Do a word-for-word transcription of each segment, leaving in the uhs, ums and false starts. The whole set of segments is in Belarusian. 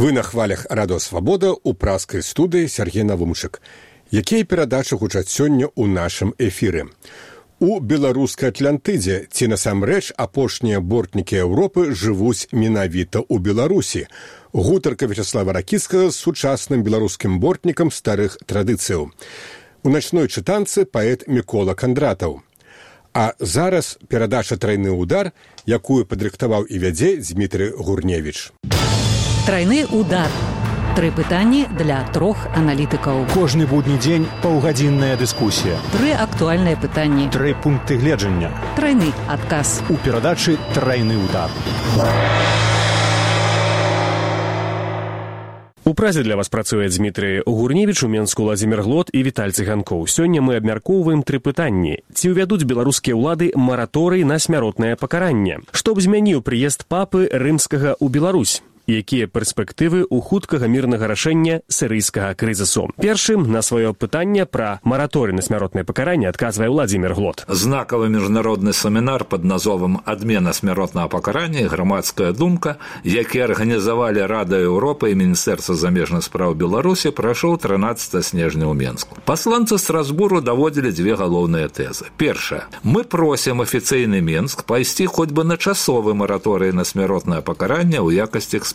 Вы на хвалях Радио Свабода у праскай студыі Сергей Навумчык. Якія перадачы гучаць сёння ў нашым эфіры? У беларускай Атлантыдзе ці насамрэч апошнія бортнікі Еўропы жывуць менавіта ў Беларусі. Гутарка Вячаслава Ракіцкага з сучасным беларускім бортнікам старых традыцыяў. У начной чытанцы паэт Мікола Кандратаў. А зараз перадача «Трайны удар», якую падрыхтаваў і вядзе Дзмітрый Гурневіч. Трайны удар. Тры пытанні для трох аналітыкаў. Кожны будні дзень паўгадзінная дыскусія. Тры актуальныя пытанні. Тры пункты гледжання. Трайны адказ. У перадачы «Трайны удар». У празе для вас працуе Дзмітрый Гурневіч, у Менску Владзімір Глот і Віталь Цыганкоў. Сёння мы абмяркоўваем тры пытанні. Ці ўвядуць беларускія ўлады мараторый на смяротнае пакаранне? Што б змяніў прыезд папы рымскага ў Беларусь? Якія перспектывы ў хуткага мірнага рашэння сірыйскага крызісу? Першым на сваё пытанне пра мараторый на смяротнае пакаранне адказвае Владзімір Глот. Знакавы міжнародны семінар пад назвом «Адмена смяротнага пакарання і грамадская думка», які арганізавалі Рада Еўропы і Міністэрства замежных спраў Беларусі, прайшоў трынаццатага снежня ў Менску. Пасланцы Страсбуру даводзілі дзве галоўныя тэзы. Першая. Мы просім афіцыйны Менск пайсці хоць бы на часовы мараторый на смяротнае пакаранне ў якасці эксперыменту.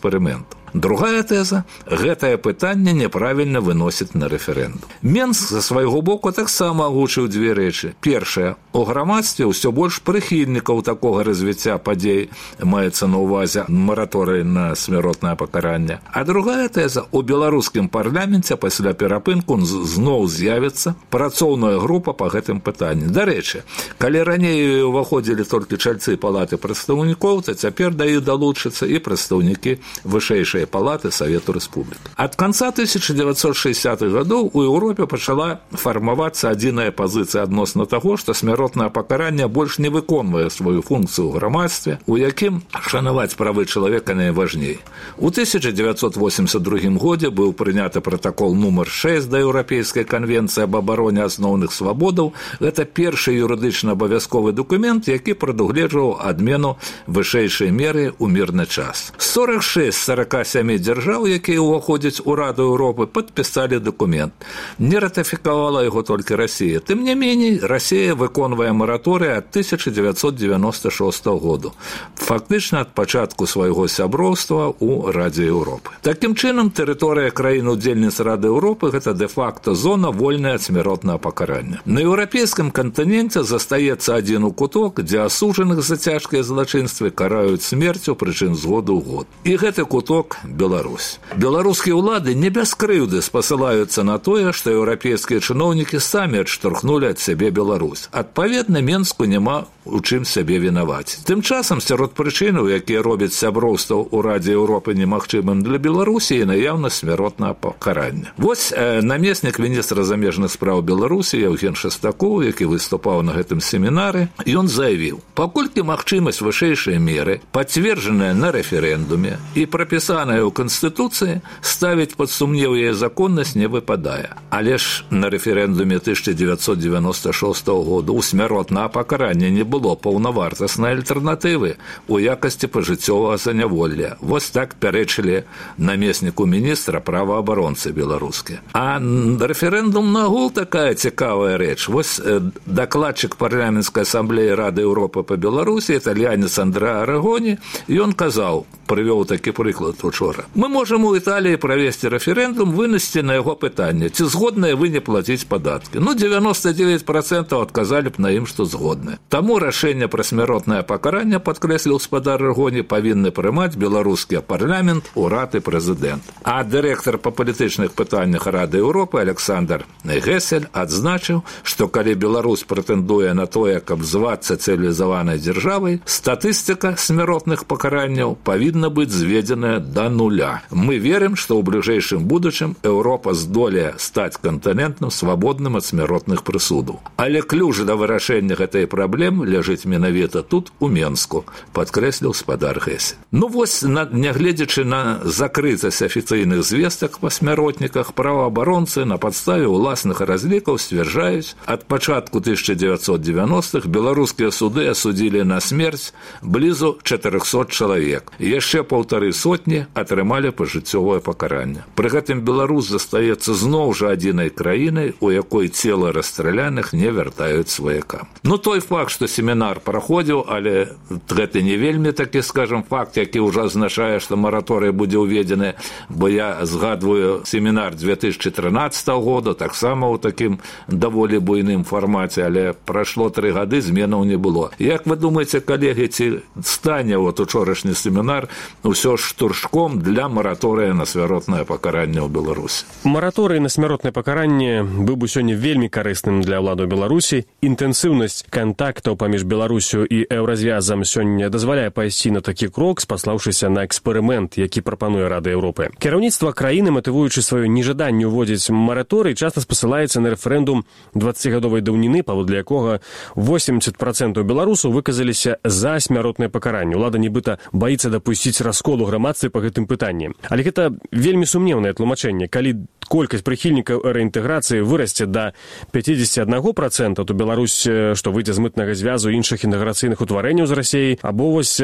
Другая тэза – гэтае пытанне няправільна выносіць на рэферэндум. Менск за свайго боку таксама агучыў дзве рэчы. Першая – у грамадстве ўсё больш прыхільнікаў такога развіцця падзей, маецца на ўвазе мараторый на смяротнае пакаранне. А другая тэза – у беларускім парламенце пасля перапынку зноў з'явіцца працоўная група па гэтым пытанні. Дарэчы, калі раней уваходзілі толькі чальцы палаты прадстаўнікоў, то цяпер да іх далучацца і прадстаўнікі вышэйшай палаты Савету Рэспублік. Ад канца тысяча дзевяцьсот шэсцідзятых гадоў у Еўропе пачала фармавацца адзіная пазіцыя адносна таго, што смяротнае пакаранне больш не выконвае сваю функцыю ў грамадстве, у якім шанаваць правы чалавека найважней. У тысяча дзевяцьсот восемьдесят другім годзе быў прыняты пратакол нумар шэсць да Еўрапейскай канвенцыі аб абароне асноўных свабодаў. Гэта першы юрыдычна абавязковы дакумент, які прадугледжваў адмену вышэйшай меры ў мірны час. сорок шэсць з сорока сямі дзяржаў, якія ўваходзяць у Раду Еўропы, падпісалі дакумент. Не ратыфікавала яго толькі Расія. Тым не меней, Расія выконвае мараторый ад тысяча дзевяцьсот дзевяноста шостага году. Фактычна ад пачатку свайго сяброўства ў Радзе Еўропы. Такім чынам, тэрыторыя краін-удзельніц Рады Еўропы – гэта дэ-факта зона вольная ад смяротнага пакарання. На еўрапейскім кантыненце застаецца адзін куток, дзе асуджаных за цяжкія злачынствы караюць смерцю, прычым з году ў год. І гэты куток – Беларусь. Беларускія ўлады не без крыўды спасылаюцца на тое, што еўрапейскія чыноўнікі самі адштурхнулі ад сябе Беларусь. Адпаведна, Менску няма у чым сябе вінаваць. Тым часам, сярод прычынаў, якія робяць сяброўства ў Радзе Еўропы немагчымым для Беларусі, і наяўнасць смяротнага пакарання. Вось э, намеснік міністра замежных спраў Беларусі Яўген Шастакоў, які выступаў на гэтым семінары, ён заявіў: паколькі магчымасць вышэйшай меры, пацверджаная на рэферэндуме і прапісаная ў Канстытуцыі, ставіць пад сумнеў яе законнасць не выпадае. Але ж на рэферэндуме тысяча дзевяцьсот дзевяноста шостага году ў смяротнага пакарання не было паўнавартаснай альтэрнатывы у якасці пажыццёвага заняволля. Вось так пярэчылі намесніку міністра праваабаронцы беларускія. А рэферэндум нагул такая цікавая рэч. Вось э, дакладчык парламенцкай асамблеі Рады Еўропы па Беларусі, італьянец Андрэа Арагоні, ён казаў, прывёў такі прыклад учора: мы можам у Італіі правесці рэферэндум, вынесці на яго пытанне, ці згодныя вы не плаціць падаткі. Ну, дзевяноста дзевяць працэнтаў адказалі б на ім, што згодны. Таму рашэнне пра смяротнае пакаранне, падкрэсліў спадар Арагоні, павінны прымаць беларускі парламент, урад і прэзідэнт. А дырэктар па палітычных пытаннях Рады Еўропы Александр Гесель адзначыў, што калі Беларусь прэтэндуе на тое, каб звацца цывілізаванай дзяржавай, статыстыка смяротных пакаранняў павінна быць зведзеная да нуля. Мы верым, што ў бліжэйшым будучым Еўропа здолее стаць кантынентам свабодным ад смяротных прысудаў. Але ключ да вырашэння гэтай праблемы ляжыць менавіта тут, у Менску, падкрэсліў спадар Гесель. Ну вось, нягледзячы на закрытасць афіцыйных звестак па смяротніках, праваабаронцы на падставе ўласных разлікаў сцвярджаюць, ад пачатку тысяча дзевяцьсот девяностых беларускія суды асудзілі на смерць блізу чатырохсот чалавек. Яшчэ яшчэ паўтары сотні атрымалі пажыццёвае пакаранне. Пры гэтым Беларусь застаецца зноў жа адзінай краінай, у якой цела расстраляных не вяртаюць сваякам. Ну, той факт, што семінар праходзіў, але гэта не вельмі такі, скажам, факт, які ўжо азначае, што мараторый будзе ўведзены, бо я згадваю семінар две тысячи трынаццатага года, таксама ў такім даволі буйным фармаце, але прайшло тры гады, зменаў не было. Як вы думаеце, калегі, ці стане вот учорашні семінар ўсё ж штуршком для мараторыя на смяротнае пакаранне ў Беларусі? Мараторый на смяротнае пакаранне быў бы сёння вельмі карысным для ўладаў Беларусі. Інтэнсіўнасць кантактаў паміж Беларусю і еўразвязам сёння дазваляе пайсці на такі крок, спаслаўшыся на эксперымент, які прапануе Рада Еўропы. Кіраўніцтва краіны, матывуючы сваё нежаданне ўводзіць мараторый, часта спасылаецца на рэферэндум дваццацігадовай даўніны, паводле якога восемьдесят процентов беларусаў выказаліся за смяротнае пакаранне. Улада нібыта баіцца дапусціць раскол у грамадстве па гэтым пытанні. Але гэта вельмі сумнеўнае тлумачэнне. Калі колькасць прыхільнікаў рэінтэграцыі вырасце да пятьдесят один процент, то Беларусь, што выйдзе з мытнага звязу іншых інтэграцыйных утварэнняў з Расіяй, або вось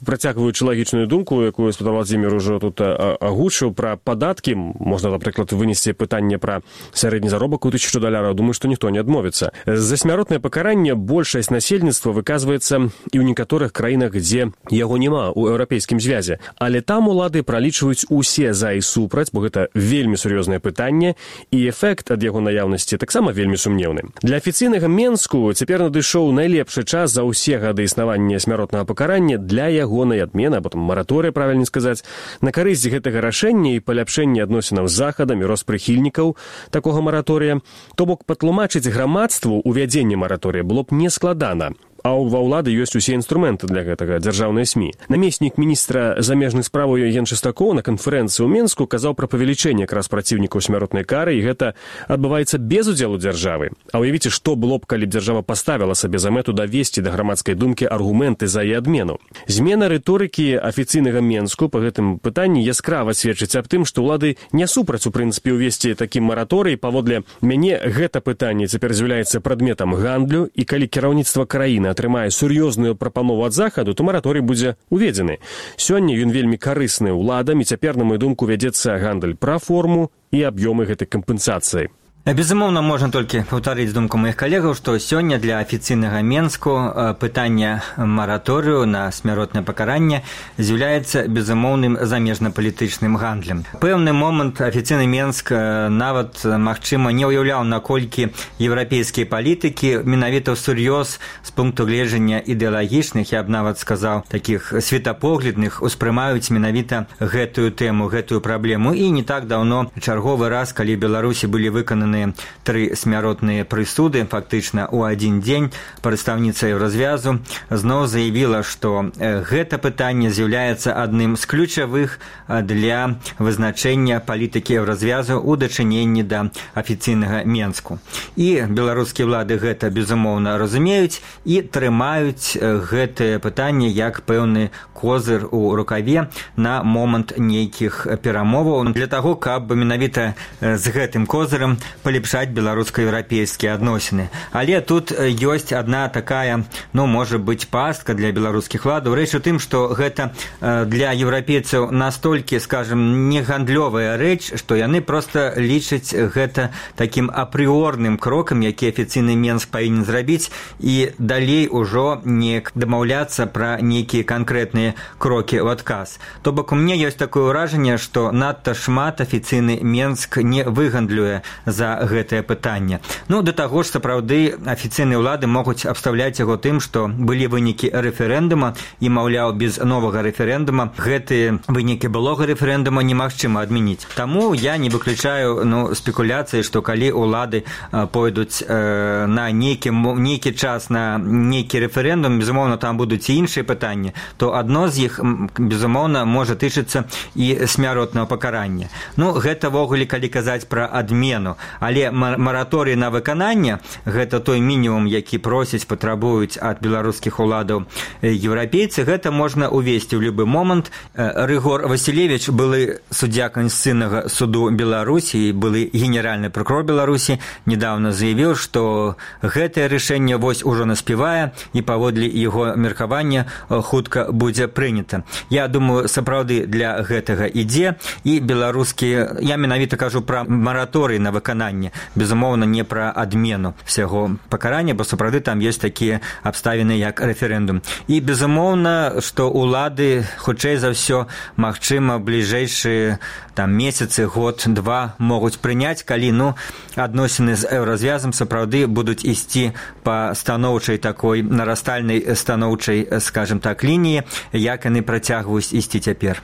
працягваючы лагічную думку, якую Спадар Владзімір ужо тут агучыў пра падаткі, можна, напрыклад, вынесці пытанне пра сярэдні заробак у тысячу даляраў, думаю, што ніхто не адмовіцца. За смяротнае пакаранне большасць насельніцтва выказваецца і ў некаторых краінах, дзе яго няма ў еўрапейскім звязе. Але там улады пралічваюць усе за і супраць, бо гэта вельмі сур'ёзнае пытанне, і эфект ад яго наяўнасці таксама вельмі сумнеўны. Для афіцыйнага Менску цяпер надышоў найлепшы час за ўсе гады існавання смяротнага пакарання для ягонай адмены, або там мараторыя, правільна сказаць, на карысць гэтага рашэння і паляпшэння адносінаў з захадам і рост прыхільнікаў такога мараторыя. То бок патлумачыць грамадству увядзенне мараторыя было б нескладана. А ва ўлады ёсць усе інструменты для гэтага, дзяржаўныя СМІ. Намеснік міністра замежных справаў Євген Шестакоў на канферэнцыі ў Менску казаў пра павелічэнне якраз праціўнікаў смяротнай кары, і гэта адбываецца без удзелу дзяржавы. А ўявіце, што было б, калі б дзяржава паставіла сабе за мэту давесці да грамадскай думкі аргументы за і адмену. Змена рыторыкі афіцыйнага Менску па гэтым пытанні яскрава сведчыць аб тым, што ўлады не супраць, у прынцыпе, увесці такі мараторый. Паводле мяне гэта пытанне цяпер з'яўляецца прадметам гандлю, і калі кіраўніцтва краіны атрымае сур'ёзную прапанову ад захаду, то мараторый будзе уведзены. Сёння ён вельмі карысны ўладам, і цяпер, на маю думку, вядзецца гандаль пра форму і аб'ёмы гэтай кампенсацыі. Безумоўна, можна толькі паўтарыць думку маіх калегаў, што сёння для афіцыйнага Менску пытанне мараторыю на смяротнае пакаранне з'яўляецца безумоўным замежна-палітычным гандлем. Пэўны момант афіцыйны Менск нават, магчыма, не ўяўляў, наколькі еўрапейскія палітыкі менавіта ўсур'ёз з пункту гледжання ідэалагічных, я б нават сказаў, такіх светапоглядных, успрымаюць менавіта гэтую тэму, гэтую праблему. І не так даўно, чарговы раз, калі Беларусі былі выкананы тры смяротныя прысуды, фактычна ў адзін дзень, прадстаўніца Еўразвязу зноў заявіла, што гэта пытанне з'яўляецца адным з ключавых для вызначэння палітыкі Еўразвязу ў дачыненні да афіцыйнага Менску. І беларускія ўлады гэта, безумоўна, разумеюць і трымаюць гэтае пытанне як пэўны козыр у рукаве на момант нейкіх перамоваў для таго, каб менавіта з гэтым козырам палепшаць беларуска-еўрапейскія адносіны. Але тут ёсць адна такая, ну, можа быць, пастка для беларускіх уладаў. Рэч у тым, што гэта для еўрапейцаў настолькі, скажем, не гандлёвая рэч, што яны проста лічаць гэта такім апрыорным крокам, які афіцыйны Менск павінен зрабіць, і далей ужо не дамаўляцца пра нейкія канкрэтныя крокі ў адказ. То бок у мяне ёсць такое ўражанне, што надта шмат афіцыйны Менск не выгандлюе за гэтае пытанне. Ну, да таго ж, сапраўды, афіцыйныя ўлады могуць абстаўляць яго тым, што былі вынікі рэферэндума, і, маўляў, без новага рэферэндума гэтыя вынікі былога рэферэндума немагчыма адмяніць. Таму я не выключаю, ну, спекуляцыі, што калі ўлады пойдуць э, на нейкі, нейкі час на нейкі рэферэндум, безумоўна, там будуць і іншыя пытанні, то адно з іх, безумоўна, можа тычыцца і смяротнага пакарання. Ну, гэта вогуле, калі казаць пра адмену. Але мараторый на выкананне – гэта той мінімум, які просяць, патрабуюць ад беларускіх уладаў еўрапейцы, гэта можна увесці ў любы момант. Рыгор Васілевіч, былы суддзя Конституцыйнага суду Беларусі, былы генеральны прокурор Беларусі, недавно заявіў, што гэтае рашэнне вось ужо наспевае і паводле яго меркавання хутка будзе прынята. Я думаю, сапраўды для гэтага ідзе, і беларускія, я менавіта кажу пра мараторый на выкананне, безумоўна, не пра адмену всяго пакарання, бо сапраўды там ёсць такія абставіны, як рэферэндум. І безумоўна, што улады, хутчэй за ўсё, магчыма, бліжэйшыя там месяцы, год, два могуць прыняць, калі, ну, адносіны з еўразвязам сапраўды будуць ісці па станоўчай такой нарастальнай станоўчай, скажем так, лініі, як яны працягваюць ісці цяпер.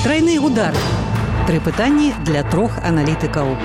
Трайны удар. Тры пытанні для трох аналітыкаў.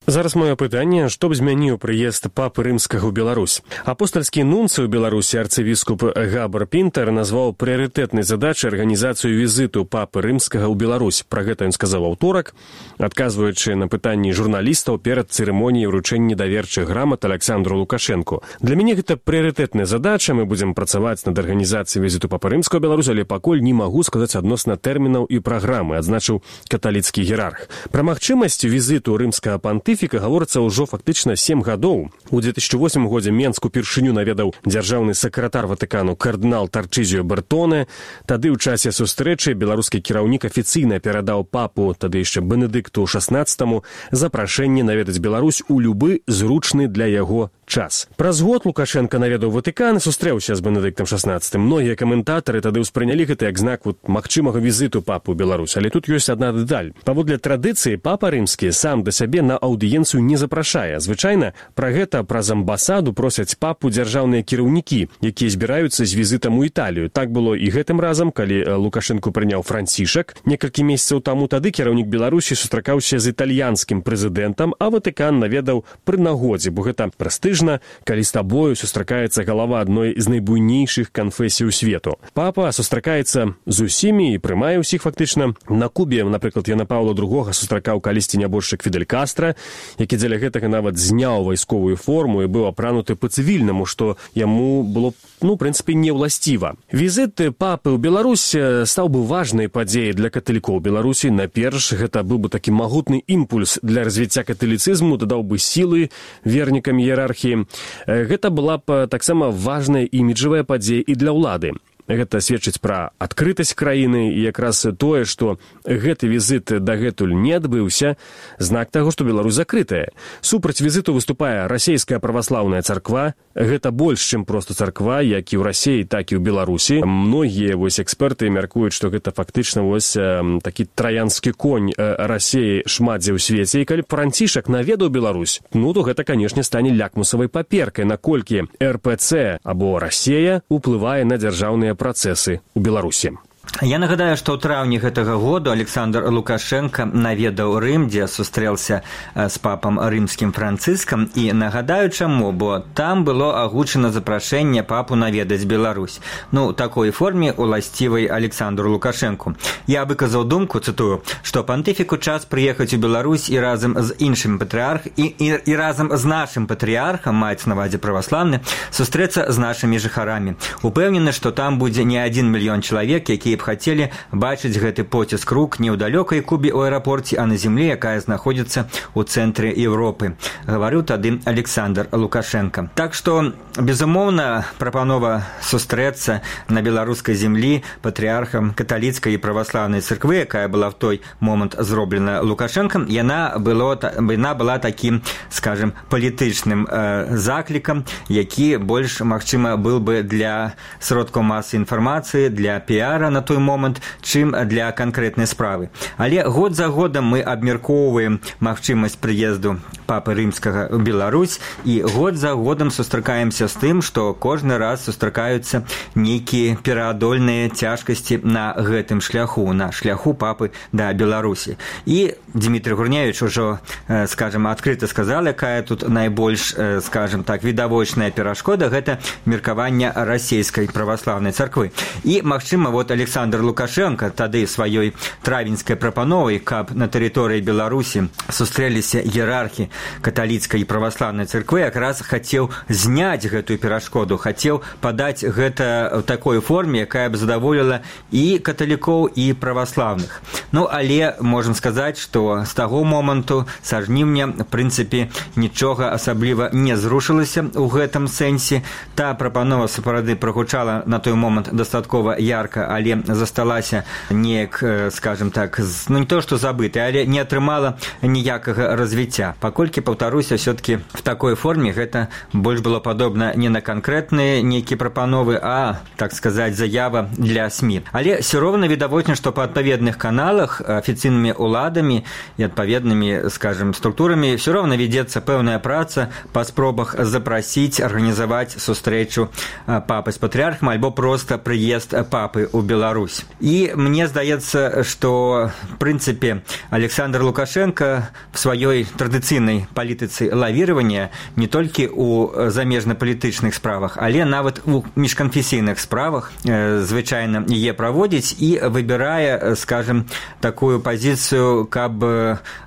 Зараз маё пытанне, што б змяніў прыезд папы рымскага ў Беларусь. Апостальскі нунцый у Беларусі арцывіскуп Габар Пінтер назваў прыярытэтнай задачай арганізацыю візіту папы рымскага ў Беларусь. Пра гэта ён сказаў аўторак, адказваючы на пытанні журналістаў перад цырымоніяй уручэння даверчых грамат Александру Лукашэнку. Для мяне гэта прыярытэтная задача, мы будзем працаваць над арганізацыяй візіту папы рымскага ў Беларусь, але пакуль не магу сказаць адносна тэрмінаў і праграмы, адзначыў каталіцкі іерарх. Пра магчымасць візіту рымскага пантыфіка гаворыцца ўжо фактычна сем гадоў. У две тысячи восьмым годзе Менск упершыню наведаў дзяржаўны сакратар Ватыкану кардынал Тарчызіо Бертоне. Тады ў часе сустрэчы беларускі кіраўнік афіцыйна перадаў папу, тады яшчэ Бенедыкту шаснаццатаму, запрашэнне наведаць Беларусь у любы зручны для яго час. Праз год Лукашенко наведаў Ватыкан і сустрэўся з Бенедыктам шаснаццатым. Многія каментатары тады ўспрынялі гэта як знак вот магчымага візіту папы ў Беларусь. Але тут ёсць адна дэталь. Паводле традыцыі папа рымскі сам да сябе на аўдыенцыю не запрашае. Звычайна пра гэта праз амбасаду просяць папу дзяржаўныя кіраўнікі, якія збіраюцца з візітам у Італію. Так было і гэтым разам, калі Лукашенко прыняў Францішак. Некалькі месяцаў таму тады кіраўнік Беларусі сустракаўся з італьянскім прэзідэнтам, а Ватыкан наведаў пры нагодзе, бо гэта прэстыжна, калі з табою сустракаецца галава адной з найбуйнейшых канфесій свету. Папа сустракаецца з усімі і прымае ўсіх фактычна. На Кубе, напрыклад, Яна Паўла другога сустракаў калісьці нябожчык Фідель Кастра, які дзеля гэтага нават зняў вайсковую форму і быў апрануты па-цывільнаму, што яму было, ну, в прынцыпе, не ўласціва. Візіт папы ў Беларусь стаў бы важнай падзеяй для каталікоў Беларусі. Наперш, гэта быў бы такі магутны імпульс для развіцця каталіцызму, дадаў бы сілы вернікам іерархіі. Гэта была б таксама важная іміджавая падзея і для ўлады. Гэта сведчыць пра адкрытасць краіны, і якраз тое, што гэты візіт дагэтуль не адбыўся, знак таго, што Беларусь закрытая. Супраць візіту выступае расійская праваслаўная царква. Гэта больш, чым проста царква, як і ў Расіі, так і ў Беларусі. Многія вось эксперты мяркуюць, што гэта фактычна вось такі траянскі конь Расіі шмат дзе ў свеце. І калі Францішак наведаў Беларусь, ну то гэта, канешне, стане лякмусавай паперкай, наколькі эр пэ цэ або Расія уплывае на дзяржаўныя працэсы ў Беларусі. Я нагадаю, што ў траўні гэтага году Александр Лукашенко наведаў Рым, дзе сустрэлся з папам рымскім Францыскам, і нагадаю чаму, бо там было агучана запрашэнне папу наведаць Беларусь. Ну, такой форме уласцівай Александру Лукашенку. Я выказаў думку, цытую, што пантыфіку час прыехаць у Беларусь і разам з іншым патрыарх і, і, і разам з нашым патрыархам, маецца на ўвазе праваслаўны, сустрэцца з нашымі жыхарамі. Упэўнены, што там будзе не адзін мільён чалавек, якія б хацелі бачыць гэты поціск рук не ў далёкай Кубе ў аэрапорце, а на земле, якая знаходзіцца ў цэнтры Еўропы, гаварыў тады Александр Лукашенко. Так што, безумоўна, прапанова сустрэцца на беларускай землі патрыархам каталіцкай і праваслаўнай царквы, якая была в той момант зроблена Лукашенком, яна, было, яна была такім, скажем, палітычным э, заклікам, які больш, магчыма, был бы для сродкаў масавай інфармацыі, для піара на той момант, чым для канкрэтнай справы. Але год за годам мы абмяркоўваем магчымасць прыезду папы рымскага ў Беларусь, і год за годам сустракаемся з тым, што кожны раз сустракаюцца нейкія пераадольныя цяжкасці на гэтым шляху, на шляху папы да Беларусі. І Дмітрий Гурневич ужо, скажем, адкрыта сказал, якая тут найбольш, скажем так, відавочная перашкода, гэта меркаванне расійскай праваслаўнай царквы. І, магчыма, вот Александр Александр Лукашенко тады сваёй травеньскай прапановай, каб на тэрыторыі Беларусі сустрэліся іерархі каталіцкай і праваслаўнай царквы, якраз хацеў зняць гэтую перашкоду, хацеў падаць гэта ў такой форме, якая б задаволіла і каталікоў, і праваслаўных. Ну, але можам сказаць, што з таго моманту, са жніўня, в прынцыпе, нічога асабліва не зрушылася ў гэтым сэнсе. Та прапанова сапраўды прагучала на той момант дастаткова ярка, але засталася неяк, скажем так, ну не то што забытай, але не атрымала ніякага развіцця. Паколькі, паўтаруся, все-таки в такой форме гэта больш было падобна не на канкрэтныя нейкія прапановы, а, так сказаць, заява для СМИ. Але все роўна відавочна, што па адпаведных каналах афіцыйнымі уладамі і адпаведнымі, скажем, структурамі все роўна вядзецца пэўная праца па спробах запрасіць, арганізаваць сустрэчу папы з патрыархам альбо проста прыезд папы ў Беларусь. І мне здаецца, што, в прынцыпе, Александр Лукашенко в сваёй традыцыйнай палітыцы лавіравання не толькі ў замежна-палітычных справах, але нават у міжканфесійных справах звычайна яе праводзіць і выбірае, скажем, такую пазіцыю, каб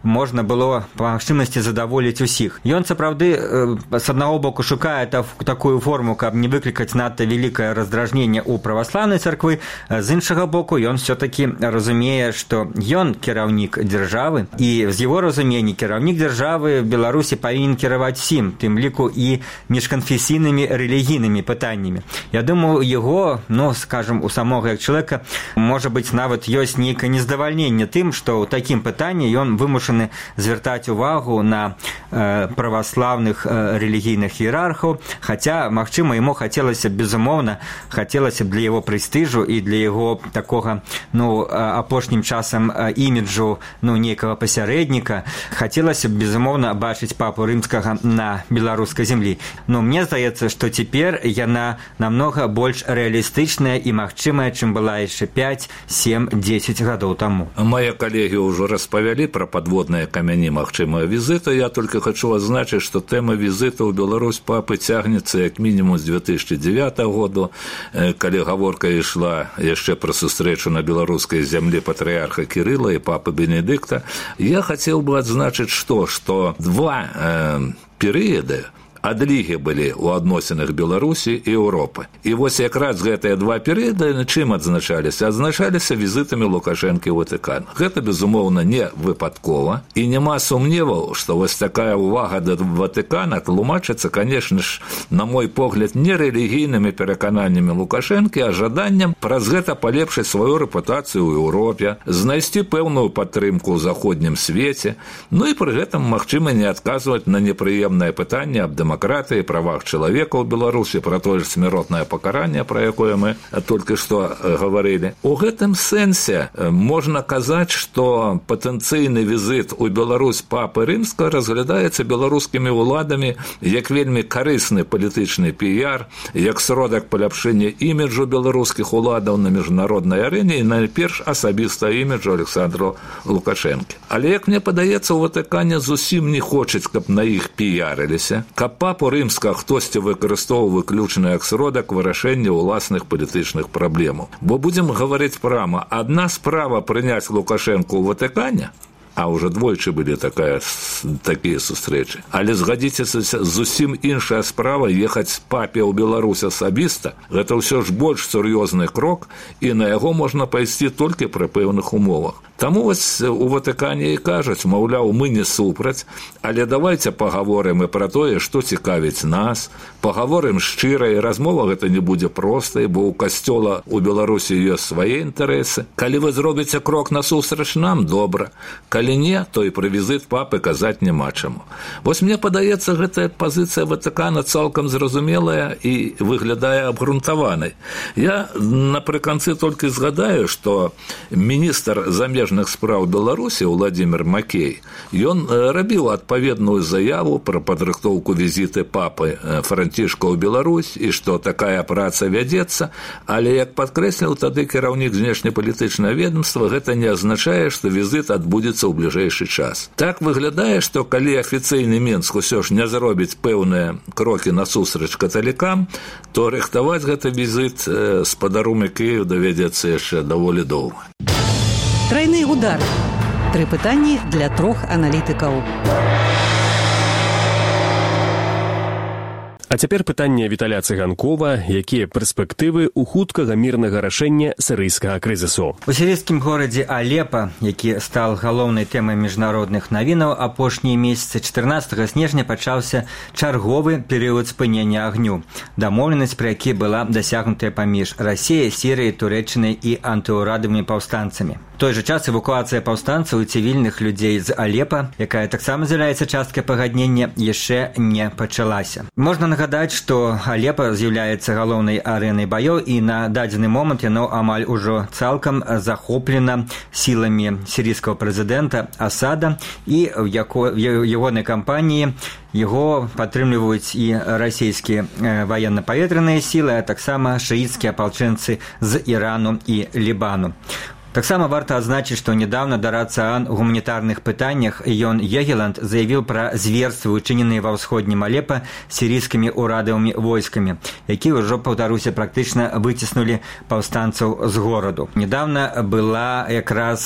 можна было па магчымасці задаволіць усіх. Ён, сапраўды, з аднаго боку шукае такую форму, каб не выклікаць надта вялікае раздражненне ў праваслаўнай царквы, з іншага боку ён все-таки разумее, што ён кіраўнік дзяржавы, і з яго разумення кіраўнік дзяржавы в Беларусі павінен кіраваць всім, тым ліку і міжканфесійнымі рэлігійнымі пытаннямі. Я думаю, яго, ну, скажем, у самога як чалавека, можа быць, нават ёсць нейкае нездавальненне тым, што ў такім пытанні ён вымушаны звяртаць увагу на э, праваслаўных э, рэлігійных іерархаў, хаця, магчыма, яму хацелася, безумоўна, хацелася б для яго прэстыжу і для яго такога, ну, апошнім часам іміджу, ну, нейкага пасярэдніка, хацелася б, безумоўна, бачыць папу рымскага на беларускай зямлі. Но мне здаецца, што цяпер яна намнога больш рэалістычная і магчымая, чым была яшчэ пяць, сем, дзесяць гадоў таму. Мае калегі ўжо распавялі пра падводныя камяні магчымага візіту. Я толькі хачу адзначыць, што тэма візіту ў Беларусь папы цягнецца як мінімум з две тысячи девятого году, калі гаворка ішла яшчэ пра сустрэчу на беларускай зямлі патрыарха Кірыла і папы Бенедыкта. Я хацеў бы адзначыць, што, што два э, перыяды адлігі былі ў адносінах Беларусі і Еўропы. І вось якраз гэтыя два перыяды чым адзначаліся? Адзначаліся візітамі Лукашэнкі ў Ватыкан. Гэта, безумоўна, не выпадкова, і няма сумневаў, што вось такая ўвага да Ватыкана тлумачыцца, канешне ж, на мой погляд, не рэлігійнымі перакананнямі Лукашэнкі, а жаданнем праз гэта палепшыць сваю рэпутацыю ў Еўропе, знайсці пэўную падтрымку ў заходнім свеце, ну і пры гэтым, магчыма, не адказваць на непрыемнае пытанне аб дэмакратыі, правах чалавека ў Беларусі, пра тое ж смяротнае пакаранне, пра якое мы толькі што гаварылі. У гэтым сэнсе можна казаць, што патэнцыйны візіт у Беларусь папы Рымскага разглядаецца беларускімі ўладамі як вельмі карысны палітычны піяр, як сродак паляпшэння іміджу беларускіх уладаў на міжнароднай арэне і найперш асабіста іміджу Александра Лукашэнкі. Але, як мне падаецца, у Ватыкане зусім не хочуць, каб на іх піярыліся, каб папу Рымскага хтосьці выкарыстоўваў выключна як сродак вырашэння ўласных палітычных праблемаў. Бо будзем гаварыць прама, адна справа прыняць Лукашэнку ў Ватыкане, а ўжо двойчы былі такая, такія сустрэчы. Але згадзіцеся, зусім іншая справа ехаць папе ў Беларусь асабіста. Гэта ўсё ж больш сур'ёзны крок, і на яго можна пайсці толькі пры пэўных умовах. Таму вось у Ватыкане і кажуць, маўляў, мы не супраць, але давайце пагаворым і пра тое, што цікавіць нас, пагаворым шчыра, і размова гэта не будзе простай, бо ў касцёла ў Беларусі ёсць свае інтарэсы. Калі вы зробіце крок насустрач нам, добра. Калі не, то і пра візіт папы казаць няма чаму. Вось мне падаецца, гэтая пазіцыя Ватыкана цалкам зразумелая і выглядае абгрунтаванай. Я напрыканцы толькі згадаю, што міністр замежных справ Беларусі Владимир Макей, ён рабіў адпаведную заяву пра падрыхтоўку візіты папы Францішка ў Беларусь і што такая праца вядзецца, але, як падкрэсліў тады кіраўнік знешнепалітычнага ведомства, гэта не азначае, што візіт адбудзецца ў бліжэйшы час. Так выглядае, што калі афіцыйны Мінск усё ж не зробіць пэўныя крокі насустрач каталікам, то рыхтаваць гэты візіт спадару Кіеў давядзецца яшчэ даволі доўга. Трайны удар. Тры пытанні для трох аналітыкаў. А цяпер пытанне Віталя Цыганкова, якія перспектывы ў хуткага мірнага рашэння сірыйскага крызісу. У сірыйскім горадзе Алепа, які стал галоўнай тэмай міжнародных навінаў, апошнія месяцы чатырнаццатага снежня пачаўся чарговы перыяд спынення агню. Дамоўленасць, пра які была дасягнутая паміж Расіяй, Сірыяй, Турэччынай і антыўрадавымі паўстанцамі. У той жа час эвакуацыя паўстанцаў і цывільных людзей з Алепа, якая таксама з'яўляецца часткай пагаднення, яшчэ не пачалася. Можна нагадаць, што Алепа з'яўляецца галоўнай арэнай баёў, і на дадзены момант яно амаль ужо цалкам захоплена сіламі сірыйскага прэзідэнта Асада, і ў ягонай кампаніі яго падтрымліваюць і расійскія ваенна-паветраныя сілы, а таксама шыіцкія апалчэнцы з Ірану і Лібану. Таксама варта адзначыць, што нядаўна Дарад Цаан у гуманітарных пытаннях Йон Егеланд заявіў пра зверствы, учыненыя ва ўсходнім Алепа сірыйскімі ўрадавымі войскамі, якія ўжо, паўтаруся, практычна выціснулі паўстанцаў з гораду. Нядаўна была якраз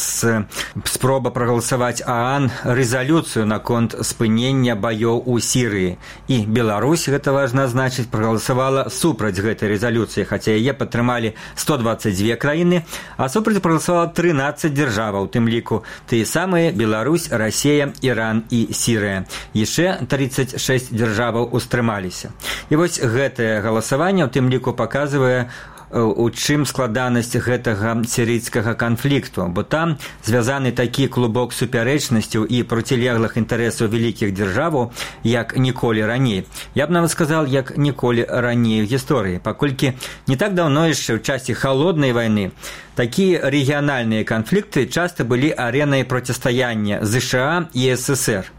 спроба прагаласаваць ААН рэзалюцыю наконт спынення баёў у Сірыі. І Беларусь, гэта важна адзначыць, прагаласавала супраць гэтай рэзалюцыі, хаця яе падтрымалі сто дваццаць дзве краіны, а супраць прагаласавала трынаццаць дзяржаваў, у тым ліку тыя самыя Беларусь, Расія, Іран і Сірыя. Яшчэ трыццаць шэсць дзяржаваў устрымаліся. І вось гэтае галасаванне, у тым ліку, паказвае, у чым складанасць гэтага сірыйскага канфлікту, бо там звязаны такі клубок супярэчнасцяў і процілеглых інтарэсаў вялікіх дзяржаваў, як ніколі раней. Я б нават сказал, як ніколі раней у гісторыі, паколькі не так даўно яшчэ ў часе халоднай вайны такія рэгіянальныя канфлікты часта былі арэнай процістаяння ЗША і СССР.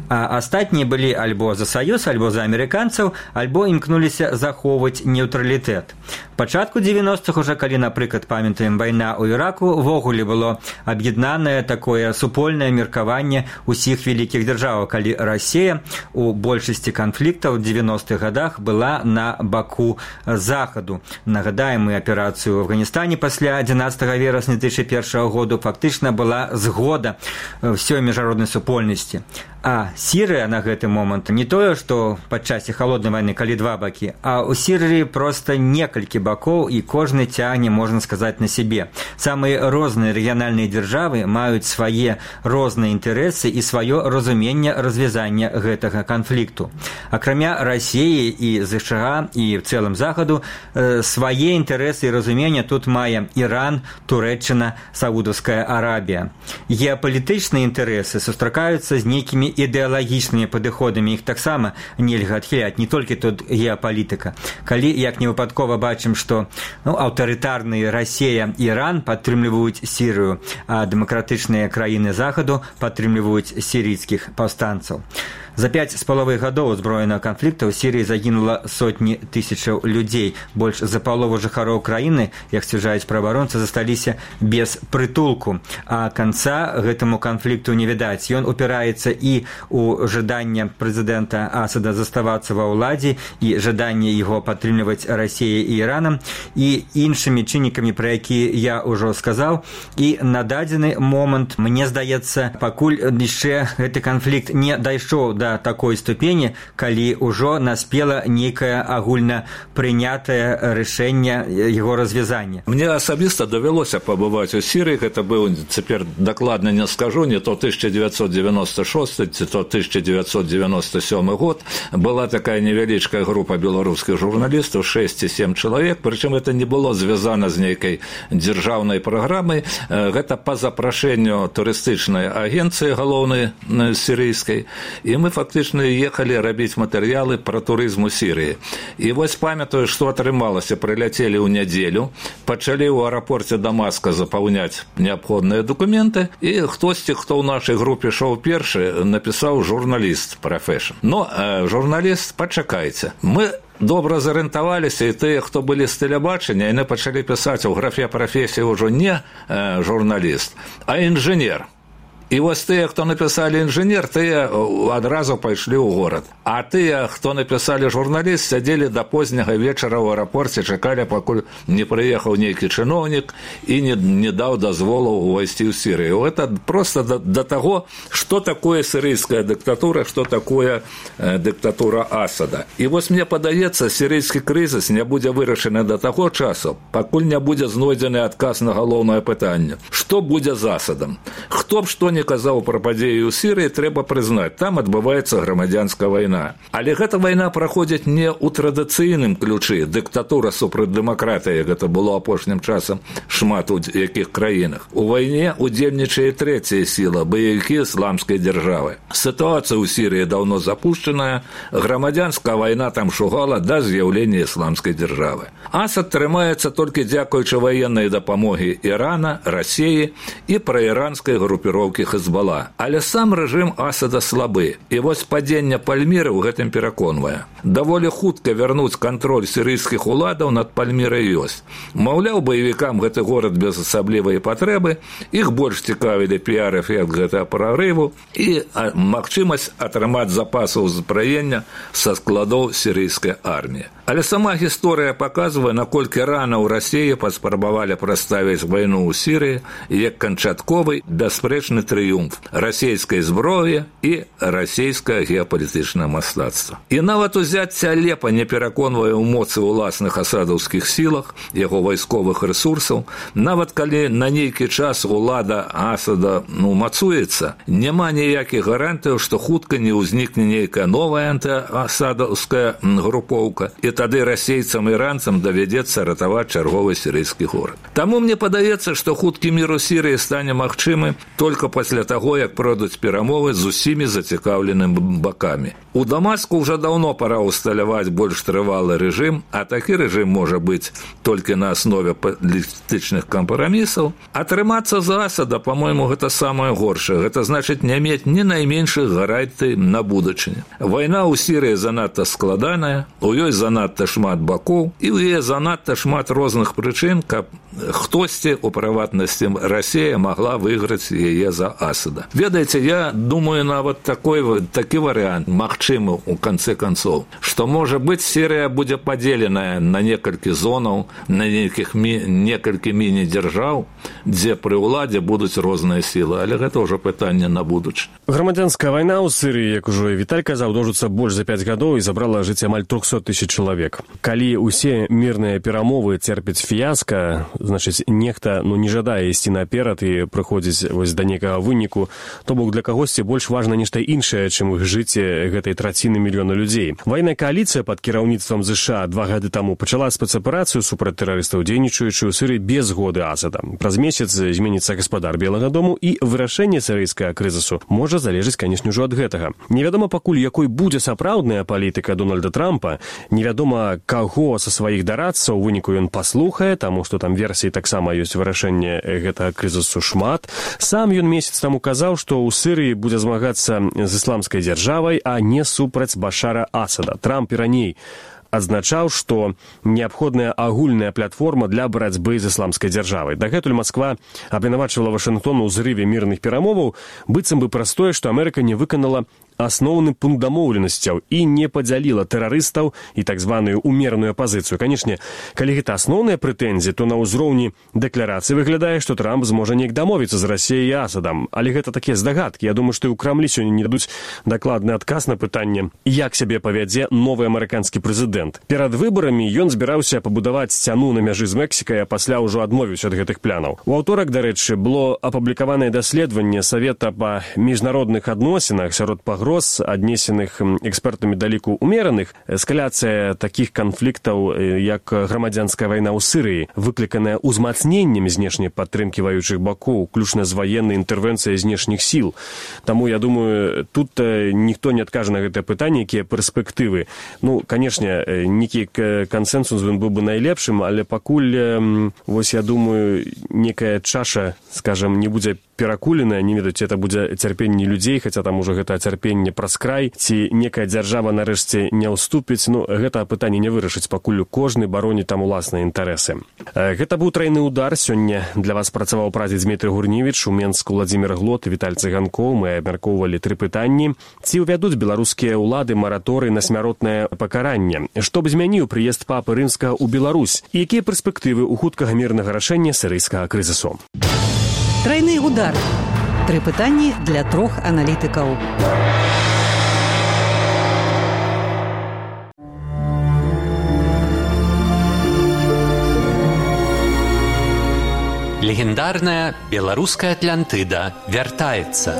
А астатнія былі альбо за саюз, альбо за амерыканцаў, альбо імкнуліся захоўваць нейтралітэт. Пачатку дзевяностых уже, калі, напрыклад, памятаем, вайна ў Іраку, увогуле было аб'яднанае такое супольнае меркаванне ўсіх вялікіх дзяржаваў, калі Расія у большасці канфліктаў у дзевяностых гадах была на баку захаду. Нагадаем, мы аперацыю ў Афганістане пасля адзінаццатага верасня две тысячи першага году фактычна была згода ўсёй міжнароднай супольнасці. А Сірыя на гэты момант не тое, што падчас халоднай вайны, калі два бакі, а ў Сірыі проста некалькі бакоў, і кожны цягне, можна сказаць, на сябе. Самыя розныя рэгіянальныя дзяржавы маюць свае розныя інтарэсы і сваё разуменне развязання гэтага канфлікту. Акрамя Расіі і ЗША і в цэлым захаду, свае інтарэсы і разумення тут мае Іран, Турэччына, Саудаўская Арабія. Геапалітычныя інтарэсы сустракаюцца з нейкімі ідэалагічнымі падыходамі, іх таксама нельга адхіляць, не толькі тут геапалітыка. Калі, як невыпадкова бачым, што ну, аўтарытарныя Расія і Іран падтрымліваюць Сірыю, а дэмакратычныя краіны захаду падтрымліваюць сірыйскіх паўстанцаў. За пяць з паловай гадоў узброенага канфлікта ў Сірыі загінула сотні тысячаў людзей. Больш за палову жыхароў краіны, як сцвярджаюць праваабаронцы, засталіся без прытулку. А канца гэтаму канфлікту не відаць. Ён упіраецца і ў жаданне прэзідэнта Асада заставацца ва ўладзе, і жаданне яго падтрымліваць Расіяй і Іранам, і іншымі чыннікамі, пра якія я ўжо сказаў. І на дадзены момант, мне здаецца, пакуль яшчэ гэты канфлікт не дайшоў да такой ступені, калі ўжо наспела нейкае агульна прынятае рашэнне яго развязання. Мне асабіста давялося пабываць у Сірыі, гэта быў, цяпер дакладна не скажу, не то тысяча девятьсот девяносто шестой, ці то тысяча девятьсот девяносто седьмой год. Была такая невялічкая група беларускіх журналістаў, шесть ці семь чалавек, прычым это не было звязана з нейкай дзяржаўнай праграмай. Гэта па запрашэнню турыстычнай агенцыі галоўнай сірыйскай, і мы фактычна ехалі рабіць матэрыялы пра турызм у Сірыі. І вось памятаю, што атрымалася, прыляцелі ў нядзелю, пачалі ў аэрапорце Дамаска запаўняць неабходныя дакументы, і хтосьці, хто ў нашай групе шоў першы, напісаў журналіст прафэшн. Но э, журналіст, пачакайце, мы добра зарыентаваліся, і тыя, хто былі з тэлебачання, яны пачалі пісаць у графе прафесіі ўжо не э, журналіст, а інжынер. І вось тыя, хто напісалі інжынер, тыя адразу пайшлі ў горад. А тыя, хто напісалі журналіст, сядзелі да позняга вечара ў аэрапорце, чакалі, пакуль не прыехаў нейкі чыноўнік і не, не даў дазволу увайсці ў Сірыю. Это просто до, до того, что такое сирийская диктатура, что такое э, диктатура Асада. І вось мне падаецца, сирийскі крызіс не будзе вырашаны до таго часу, пакуль не будзе знойдзены адказ на галоўнае пытанне. Што будзе з Асадам? Хто б што не казаў пра падзеі ў Сірыі, трэба прызнаць, там адбываецца грамадзянская вайна. Але гэта вайна праходзіць не ў традыцыйным ключы. Дыктатура супраць дэмакратыі, гэта было апошнім часам шмат у якіх краінах. У вайне удзельнічае трэцяя сіла, баевікі ісламскай дзяржавы. Сітуацыя ў Сірыі даўно запушчаная, грамадзянская вайна там шугала да з'яўлення ісламскай дзяржавы. Асад трымаецца толькі дзякуючы ваеннай дапамогі Ірана, Расіі і праіранскай групіроўкі Хезбала. Але сам рэжым Асада слабы. І вось падзенне Пальміры ў гэтым пераконвае. Даволі хутка вярнуць кантроль сірыйскіх уладаў над Пальмірай ёсць. Маўляў, баевікам гэты горад без асаблівай патрэбы, іх больш цікавілі піар-эфект гэтага прарыву і магчымасць атрымаць запасы ўзбраення са складоў сірыйскай арміі. Але сама гісторыя паказвае, наколькі рана ў Расіі паспрабавалі прадставіць вайну ў Сірыі як канчатковы бясспрэчны трыумф расійскай зброі і расійскае геапалітычнае мастацтва. І нават узяцце Алепа не пераконвае ў моцы ўласных асадаўскіх сілах, яго вайсковых рэсурсаў. Нават калі на нейкі час улада Асада ну, мацуецца, няма ніякіх гарантыяў, што хутка не ўзнікне нейкая новая антыасадаўская групоўка, і тады расейцам і іранцам давядзецца ратаваць чарговы сірыйскі горад. Таму мне падаецца, што хуткі мір у Сірыі стане магчымы толькі пасля таго, як пройдуць перамовы з усімі зацікаўленымі бакамі. У Дамаску ўжо даўно пара ўсталяваць больш трывалы рэжым, а такі рэжым можа быць толькі на аснове палітычных кампрамісаў. Атрымацца з Асада, па-мойму, гэта самае горшае. Гэта значыць не мець ні найменшых гарантый на будучыню. Вайна ў Сірыі занадта складаная, у ёй занадта шмат бакоў, і ў яе занадта шмат розных прычын, каб хтосьці, у прыватнасці Расія, магла выйграць яе за Асада. Ведаеце, я думаю, нават такой, такі варыянт магчымы ў канцы канцоў, што, можа быць, Сірыя будзе падзеленая на некалькі зонаў, на некіх мі... некалькі міні-дзяржаў, дзе пры ўладзе будуць розныя сілы, але гэта ўжо пытанне на будучыню. Грамадзянская вайна ў Сірыі, як ужо Віталь казаў, доўжыцца больш за пяць гадоў і забрала жыцця амаль трохсот тысяч чалавек. Калі ўсе мірныя перамовы церпяць фіяска, значыць, нехта ну, не жадае ісці наперад і прыходзіць вось да некага выніку, то бок для кагосьці больш важна нешта іншае, чым жыцце гэтай траціны мільёна людзей. Ваенная кааліцыя пад кіраўніцтвам ЗША два гады таму пачала спецаперацыю супраць тэрарыстаў, дзейнічаючы ў Сірыі без згоды Асада. Праз месяц зменіцца гаспадар Белага дому, і вырашэнне сірыйскага крызісу можа залежыць, канешне, ўжо ад гэтага. Невядома пакуль, якой будзе сапраўдная палітыка Дональда Трампа, невядома, каго са сваіх дарадцаў у выніку ён паслухае, таму што там версій таксама ёсць вырашэнне гэтага крызісу шмат. Сам ён месяц таму казаў, што ў Сірыі будзе змагацца з ісламскай дзяржавай, а не супраць Башара Асада. Трамп і раней адзначаў, што неабходная агульная платформа для барацьбы з ісламскай дзяржавай. Дагэтуль Масква абвінавачвала Вашынгтон у зрыве мірных перамоваў, быццам бы праз тое, што Амерыка не выканала асноўны пункт дамоўленасцяў і не падзяліла тэрарыстаў і так званую умераную апазіцыю. Канешне, калі гэта асноўныя прэтэнзіі, то на ўзроўні дэкларацыі выглядае, што Трамп зможа неяк дамовіцца з Расіяй і Асадам. Але гэта такія здагадкі. Я думаю, што і ў Крамлі сёння не дадуць дакладны адказ на пытанне, як сябе павядзе новы амерыканскі прэзідэнт. Перад выбарамі ён збіраўся пабудаваць сцяну на мяжы з Мексікай, а пасля ўжо адмовіўся ад гэтых планаў. У аўторак, дарэчы, было апублікаванае даследаванне Савета па міжнародных адносінах сярод пагроз, аднесеных экспертамі да ліку умераных. Эскаляцыя такіх канфліктаў, як грамадзянская вайна ў Сірыі, выкліканая ўзмацненнем знешняй падтрымкі ваюючых бакоў, уключна з ваеннай інтэрвенцыяй знешніх сіл. Таму, я думаю, тут ніхто не адкажа на гэтае пытанне, якія перспектывы. Ну, канешне, нейкі кансенсус ён быў бы найлепшым, але пакуль, вось я думаю, некая чаша, скажам, не будзе перакуленае, не ведаюць, это будзе цярпенне людзей, хаця там уже гэта цярпенне праз край, ці некая дзяржава нарэшце не ўступіць. Ну, гэта пытанне не вырашыць, пакуль кожны бароніць там уласныя інтарэсы. Гэта быў трайны удар. Сёння для вас працаваў прадзед Дмітрый Гурневіч, у Менску Владзімір Глот, Віталь Цыганкоў. Мы абмяркоўвалі тры пытанні. Ці ўвядуць беларускія ўлады мараторый на смяротнае пакаранне? Што б змяніў прыезд папы рымскага ў Беларусь? І якія перспектывы ў хуткага мірнага рашэння сірыйскага крызісу? Трайны удар. Тры пытанні для трох аналітыкаў. Легендарная беларуская Атлантыда вяртаецца.